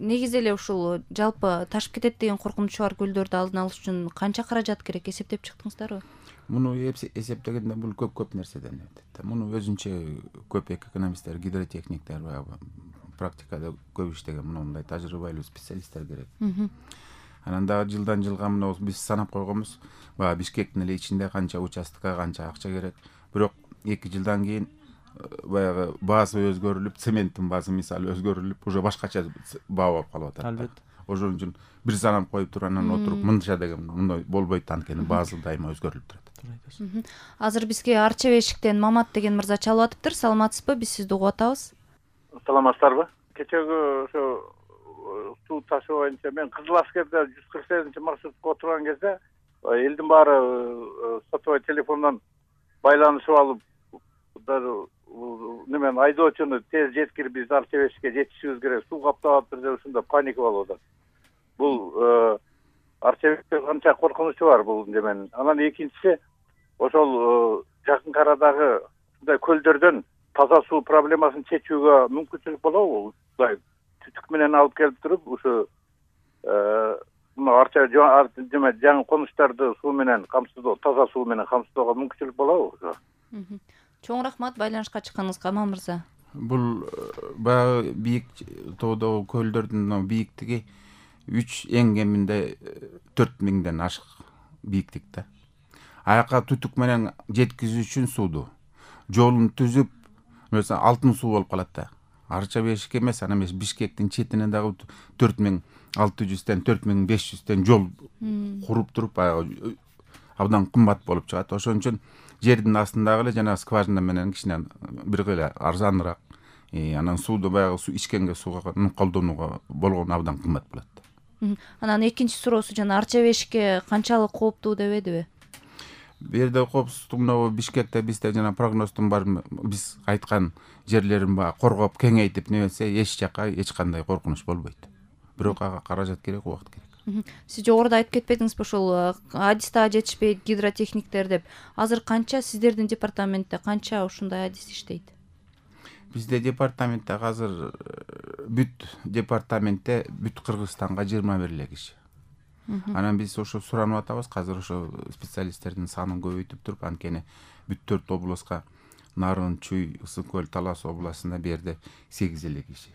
негизи эле ушул жалпы ташып кетет деген коркунучу бар көлдөрдү алдын алыш үчүн канча каражат керек, эсептеп чыктыңыздарбы? Муну эсептегенде бул көп нерседен өтөт. Муну өзүнчө көп экономисттер, гидротехниктер баягы практикада көп иштеген мындай тажрыйбалуу специалисттер керек. Анан дагы жылдан жылга мына биз санап койгонбуз, баягы Бишкектин эле ичинде канча участокко канча акча керек. Бирок 2 жылдан кийин баягы баасы өзгөрүлүп, цементтин баасы мисалы өзгөрүлүп, уже башкача баа болуп калып атат. Албетте. Ошон үчүн бир санап коюп туруп анан отуруп мынча деген мындай болбойт, анткени баасы дайыма өзгөрүлүп турат. Азыр бизге Арча Бешиктен Мамат деген мырза чалып атыптыр. Саламатсызбы? Биз сизди угуп атабыз. Саламатсыздарбы? Кечеги ошо суу ташуу боюнча мен Кызыл Аскерде 148-маршрутка отурган кезде элдин баары сотовой телефондон байланышып алып, немен айдоочуну тез жеткирип биз Арча Бешикке жетишибиз керек, суу каптап атыптыр деп ушундай паника болуп атат. Бул Арча Бешикте канча коркунучу бар бул неменин. Анан экинчиси ошол жакын арадагы ушундай көлдөрдөн таза суу проблемасын чечүүгө мүмкүнчүлүк болобу? Мындай түтүк менен алып келип туруп, ушу мына Арча жаңы конуштарды суу менен камсыздоо, таза суу менен камсыздоого мүмкүнчүлүк болобу? Чоң рахмат байланышка чыкканыңызга, Мамат мырза. Бул баягы бийик тоодогу көлдөрдүн бийиктиги 3 эң кеминде 4000ден ашык бийиктикте. Аяка түтүк менен жеткизүү үчүн сууду жолун түзүп, mesela алтын суу болуп калат да. Арча Бешик эмес, ана эмес Бишкектин четине дагы 4600ден 4500ден жол куруп туруп баягы абдан кымбат болуп чыгат. Ошон үчүн жердин астындагы эле жана скважина менен кичине бир эле арзаныраак. Анан сууду баягы суу ичкенге сууга колдонууга болгону абдан кымбат болот. Анан экинчи суроосу жана Арча Бешикке канчалык кооптуу дебедиби? Бу жерде коопсуздук мына Бишкекте бизде жана прогноздун бар биз айткан жерлерин баягы коргоп кеңейтип немесе эч жака эч кандай коркунуч болбойт. Бирок ага каражат керек, убакыт керек. Сиз жогоруда айтып кетпедиңизби ушул адис дагы жетишпейт, гидротехниктер деп. Азыр канча сиздердин департаментте канча ушундай адис иштейт? Бизде департаментте азыр бүт департаментте бүт Кыргызстанга 21 эле киши. Анан биз ошо суранып атабыз, азыр ошо специалисттердин санын көбөйтүп туруп, анткени бүт 4 областка Нарын, Чүй, Ысык көл, Талас областында бу жерде 8 эле киши.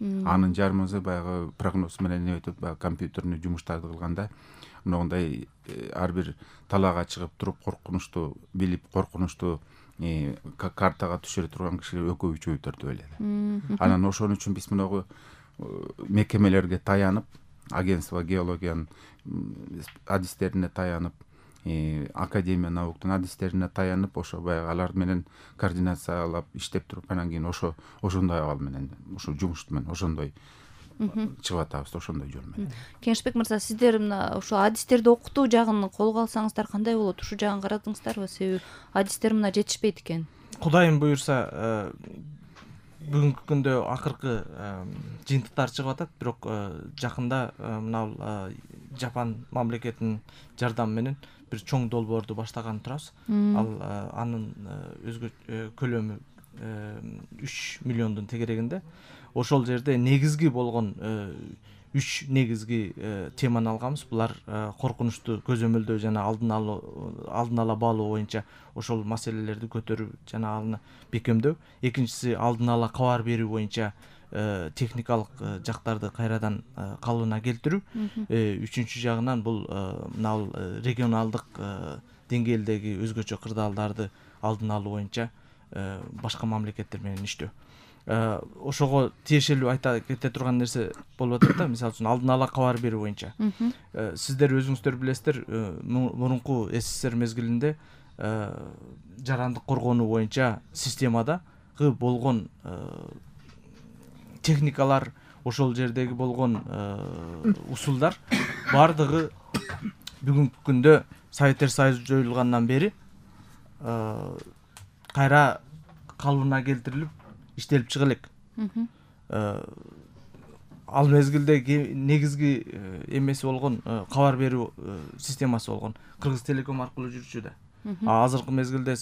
Анын жарымысы баягы прогноз менен өтүп, баягы компьютерный жумуштарды кылганда мындай ар бир талаага чыгып туруп коркунучту билип, коркунучту картага түшүрө турган киши экөө-үчөө төртөө эле. Анан ошон үчүн биз мынагу мекемелерге таянып, агентство геологиянын адистерине таянып, академия науктун адистерине таянып, ошо баягы алар менен координациялап иштеп туруп, анан кийин ошондой абал менен, ошо жумуш менен ошондой чыгып атабыз, ошондой жол менен. Кеңешбек мырза, сиздер мына ошо адистерди окутуу жагын колго алсаңыздар кандай болот? Ушу жагын карадыңыздарбы? Себеби адистер мына жетишпейт экен. Кудайым буюрса, бүгүнкү күндө акыркы жыйынтыктар чыгып атат, бирок жакында мына Жапан мамлекетинин жардамы менен бир чоң долбоорду баштаган турабыз. Ал анын көлөмү 3 миллиондун тегерегинде. Ошол жерде негизги болгон 3 негизги теманы алганбыз. Булар коркунучту көзөмөлдөө жана алдын ала баалоо боюнча ошол маселелерди көтөрүп жана аны бекемдөө. Экинчиси алдын ала кабар берүү боюнча техникалык жактарды кайрадан калыбына келтирүү. Үчүнчү жагынан бул мына регионалдык деңгээлдеги өзгөчө кырдаалдарды алдын алуу боюнча башка мамлекеттер менен иштөө. Ошого тиешелүү айта кете турган нерсе болуп атат да, мисалы үчүн алдын ала кабар берүү боюнча. Сиздер өзүңүздөр билесиздер, мурунку СССР мезгилинде жарандык коргонуу боюнча системада болгон техникалар, ошол жердеги болгон усулдар бардыгы бүгүнкү күндө Советтер Союзу жоюлгандан бери кайра калыбына келтирилип иштелип чыга элек. Ал мезгилде негизги эмеси болгон кабар берүү системасы болгон Кыргыз Телеком аркылуу жүрчү да. Азыркы мезгилде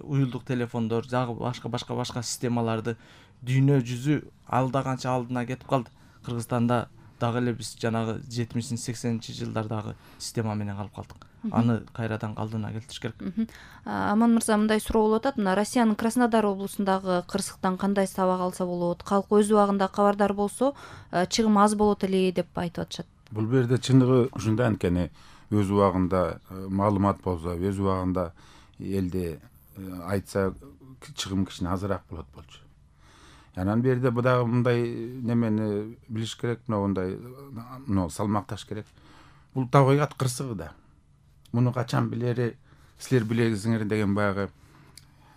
уюлдук телефондор, жагы башка системаларды дүйнө жүзү алда канча алдына кетип калды. Кыргызстанда дагы эле биз жанагы 70-80 жылдардагы система менен калып калдык. Аны кайрадан калдыына келтириш керек. Аман мырза, мындай суроо болуп атат. Мына Россиянын Краснодар облусундагы кырсыктан кандай сабак алса болот? Калк өз убагында кабардар болсо, чыгым аз болот эле деп айтып атышат. Бул жерде чындыгы ушундай, анткени өз убагында маалымат болсо, өз убагында элде айтса чыгым кичине азыраак болот болчу. Анан берде бу дагы мындай немени билиш керек, мындай салмакташ керек. Бул табигат кырсыгы да. Муну качан билери, силер билесиңер деген баягы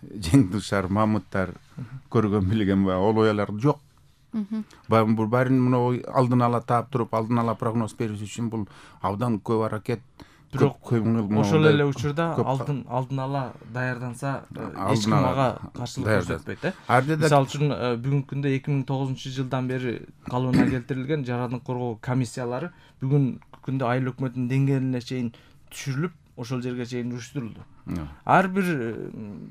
жеңдушар, мамыттар көргөн билген баягы ол оялар жок. Бул баарын муну алдын ала таап туруп, алдын ала прогноз бериш үчүн бул абдан көп аракет. Бирок ошол эле учурда алдын ала даярданса эч ким ага каршылык көрсөтпөйт, Мисалы үчүн бүгүнкү күндө 2009-жылдан бери калыбына келтирилген жарандык коргоо комиссиялары бүгүнкү күндө айыл өкмөтүнүн деңгээлине чейин түшүрүлүп, ошол жерге чейин уюштурулду. Ар бир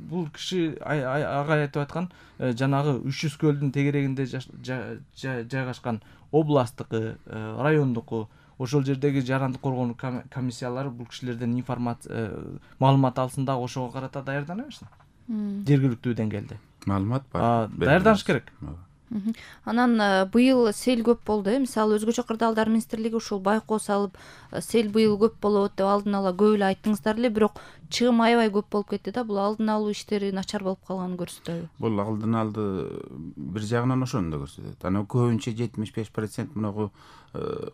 бул киши ага айтып аткан жанагы 300 көлдүн тегерегинде жайгашкан областтыкы, райондуку, ошол жердеги жарандык коргоо комиссиялары бул кишилерден маалымат алсын да ошого карата даярдана берсин. Жергиликтүү деңгээлде Маалымат бар. Даярданыш керек. Анан быйыл сел көп болду, мисалы өзгөчө кырдаалдар министрлиги ушул байкоо салып, сел быйыл көп болот деп алдын ала көп эле айттыңыздар эле, бирок чыгым аябай көп болуп кетти да. Бул алдын алуу иштери начар болуп калганын көрсөтөбү? Бул алдын алды бир жагынан ошону да көрсөтөт. Анан көбүнчө 75% мынагу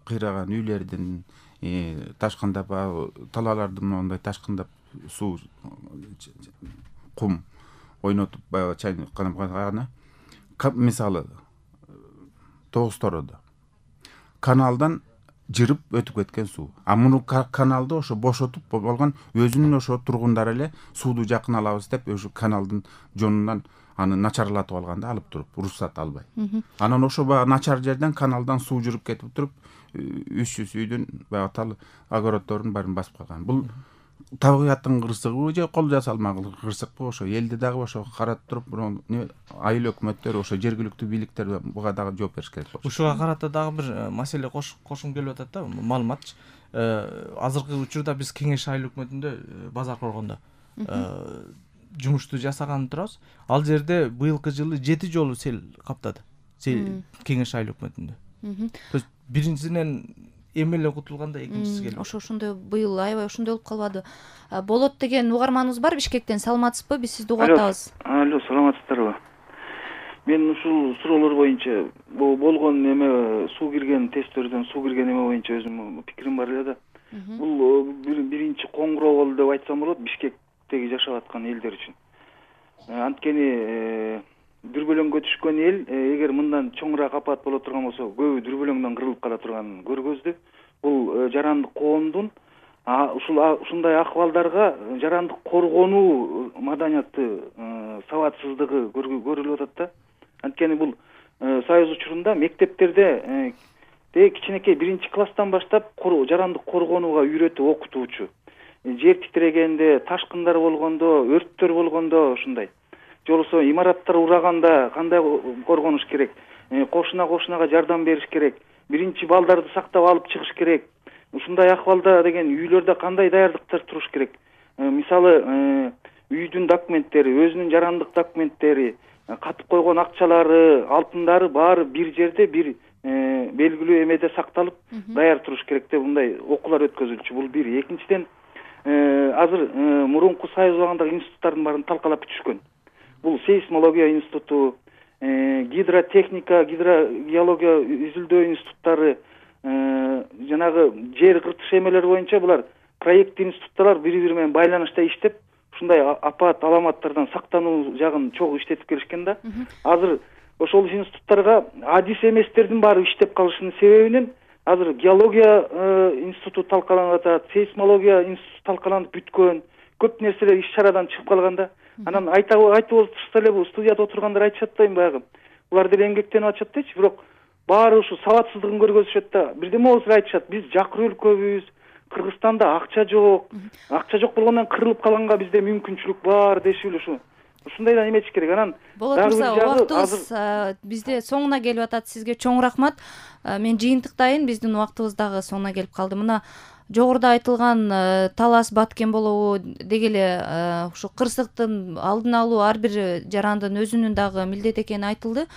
кыйраган үйлөрдүн ташкындап, талааларды мындай ташкындап, суу, кум ойнотуп баягы чайканып, мисалы Тогуз-Тородо каналдан жырып өтүп кеткен суу. Муну каналды ошо бошотуп болгон өзүнүн ошо тургундары эле сууду жакын алабыз деп ошо каналдын жонунан аны начарлатып алганда алып туруп, уруксат албай. Анан ошо баягы начар жерден каналдан суу жүрүп кетип туруп, 300 үйдүн баягы тал огороддордун баарын басып калган. Бул табигаттын кырсыгыбы же кол жасалмаган кырсыкпы, ошо элди дагы ошо карап туруп, айыл өкмөттөр, ошо жергиликтүү бийликтер буга дагы жооп бериш керек болот. Ушуга карата дагы бир маселе кошкум келип атат да, маалымат. Азыркы учурда биз Кеңеш айыл өкмөтүндө базар коргондо жумушту жасаганы турабыз. Ал жерде быйылкы жылы 7 жолу сел каптады. Сел Кеңеш айыл өкмөтүндө. То есть биринчисинен эмеле кутулганда экинчиси келип. Ошондой быйыл аябай ошондой болуп калбады. Болот деген угарманыбыз бар Бишкектен. Саламатсызбы? Биз сизди угуп атабыз. Алло, саламатсыздарбы? Мен ушул суроолор боюнча болгон эме суу кирген тестерден суу кирген эме боюнча өзүмдүн пикирим бар эле да. Бул биринчи коңгуроо болду деп айтсам болот Бишкектеги жашап аткан элдер үчүн. Анткени дүрбөлөңгө түшкөн эл эгер мындан чоңураак апат боло турган болсо, көбү дүрбөлөңдөн кырылып кала турганын көргөздү. Бул жарандык коомдун ушундай акыбалдарга жарандык коргонуу маданияты сабатсыздыгы көрүлүп атат да. Анткени бул Союз учурунда мектептерде кичинекей 1-класстан баштап жарандык коргонууга үйрөтүп окутуучу. Жер титирегенде, ташкындар болгондо, өрттөр болгондо ушундай. Же болбосо имараттар ураганда кандай коргонуш керек, кошунага жардам бериш керек, биринчи балдарды сактап алып чыгыш керек. Ушундай акыбалда деген үйлөрдө кандай даярдыктар туруш керек? Мисалы, үйдүн документтери, өзүнүн жарандык документтери, катып койгон акчалары, алтындары баары бир жерде, бир белгилүү эмеде сакталып даяр туруш керек деп мындай окуулар өткөзүлчү. Бул бир. Экинчиден, азыр мурунку Союз убагындагы институттардын баарын талкалап бүтүшкөн. Бул сейсмология институту, гидротехника, геология изилдөө институттары, жанагы жер кыртыш эмелери боюнча булар проекттик институттар бири-бири менен байланышта иштеп, ушундай апат аламаттардан сактануу жагын чогуу иштетип келишкен да. Азыр ошол институттарга адис эместердин баары иштеп калышынын себебинен азыр геология институту талкаланып атат, сейсмология институту талкаланып бүткөн, көп нерселер иш-чарадан чыгып калганда. Анан айтып отурса эле бул студияда отургандар айтышат да, баягы булар деле эмгектенип атышат дечи, бирок баары ушу сабатсыздыгын көргөзүшөт да. Бирдеме болсо айтышат, биз жакыр өлкөбүз, Кыргызстанда акча жок. Акча жок болгондон кырылып калганга бизде мүмкүнчүлүк бар дешип эле ушу ушундайдан эметиш керек. Анан Болот мырза, убактыбыз бизде соңуна келип атат. Сизге чоң рахмат. Мен жыйынтыктайын, биздин убактыбыз дагы соңуна келип калды. Мына жогоруда айтылган талас баткен болобу деги эле ушу кырсыктын алдын алуу ар бир жарандын өзүнүн дагы милдети экени айтылды.